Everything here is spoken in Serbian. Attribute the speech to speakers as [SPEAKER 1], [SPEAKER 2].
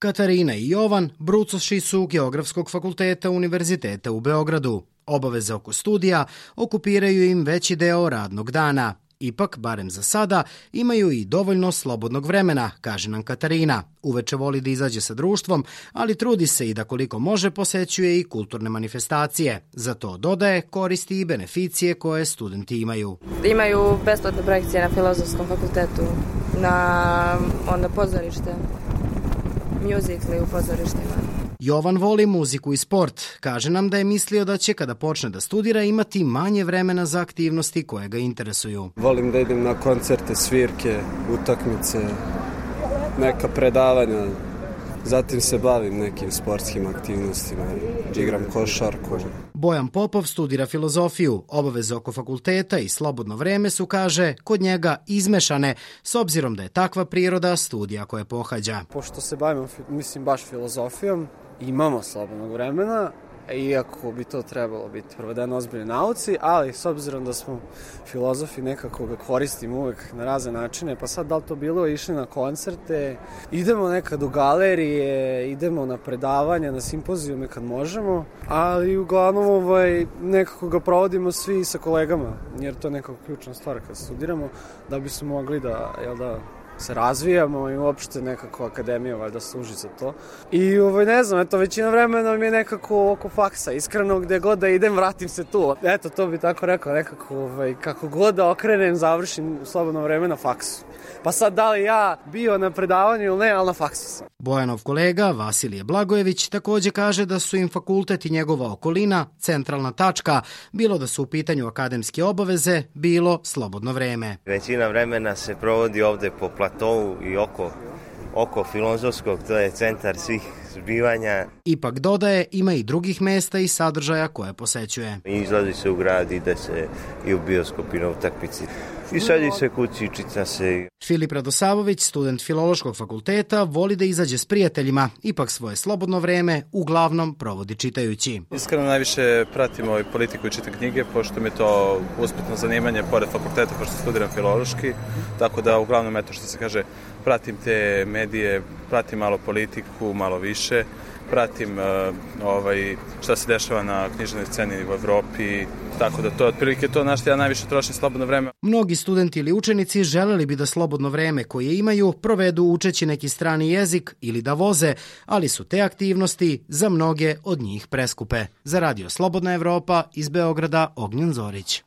[SPEAKER 1] Katarina i Jovan brucoši su Geografskog fakulteta Univerziteta u Beogradu. Obaveze oko studija okupiraju im veći deo radnog dana. Ipak, barem za sada, imaju i dovoljno slobodnog vremena, kaže nam Katarina. Uveče voli da izađe sa društvom, ali trudi se i da koliko može posećuje i kulturne manifestacije. Za to, dodaje, koristi i beneficije koje studenti imaju.
[SPEAKER 2] Imaju besplatne projekcije na Filozofskom fakultetu, na pozorište, mjuzikli u pozorištima.
[SPEAKER 1] Jovan voli muziku i sport. Kaže nam da je mislio da će kada počne da studira imati manje vremena za aktivnosti koje ga interesuju.
[SPEAKER 3] Volim da idem na koncerte, svirke, utakmice, neka predavanja. Zatim se bavim nekim sportskim aktivnostima, igram košarku.
[SPEAKER 1] Bojan Popov studira filozofiju. Obaveze oko fakulteta i slobodno vreme su, kaže, kod njega izmešane, s obzirom da je takva priroda studija koje pohađa.
[SPEAKER 3] Pošto se bavimo, baš filozofijom, imamo slobodnog vremena, iako bi to trebalo biti provedeno ozbiljnoj nauci, ali s obzirom da smo filozofi, nekako ga koristimo uvek na razne načine, pa sad da li to bilo, išli na koncerte, idemo nekad u galerije, idemo na predavanja, na simpozijume kad možemo, ali uglavnom nekako ga provodimo svi sa kolegama, jer to je nekako ključna stvar kad studiramo, da bismo mogli da se razvijamo i uopšte nekako akademija valjda služi za to. I ne znam, većina vremena mi je nekako oko faksa, iskreno gde god da idem vratim se tu. To bi tako rekao, nekako kako god da okrenem završim slobodno vreme na faksu. Pa sad da li ja bio na predavanju ili ne, ali na faksu sam.
[SPEAKER 1] Bojanov kolega Vasilije Blagojević takođe kaže da su im fakultet i njegova okolina centralna tačka, bilo da su u pitanju akademske obaveze, bilo slobodno vreme.
[SPEAKER 4] Većina vremena se provodi ovde po platovu i oko Filozofskog, to je centar svih zbivanja.
[SPEAKER 1] Ipak, dodaje, ima i drugih mesta i sadržaja koje posećuje.
[SPEAKER 4] Izlazi se u grad, ide se i u bioskop i na utakmici. I sedi se kući, čita se.
[SPEAKER 1] Filip Radosavović, student Filološkog fakulteta, voli da izađe s prijateljima, ipak svoje slobodno vreme uglavnom provodi čitajući.
[SPEAKER 5] Iskreno najviše pratim politiku i čitam knjige, pošto mi je to usputno zanimanje pored fakulteta, pošto studiram filološki, tako da uglavnom, što se kaže, pratim te medije, pratim malo politiku, malo više, pratim šta se dešava na književnoj sceni u Evropi, tako da to je otprilike to na što ja najviše trošim slobodno vreme.
[SPEAKER 1] Mnogi studenti ili učenici želeli bi da slobodno vreme koje imaju provedu učeći neki strani jezik ili da voze, ali su te aktivnosti za mnoge od njih preskupe. Za Radio Slobodna Evropa iz Beograda, Ognjen Zorić.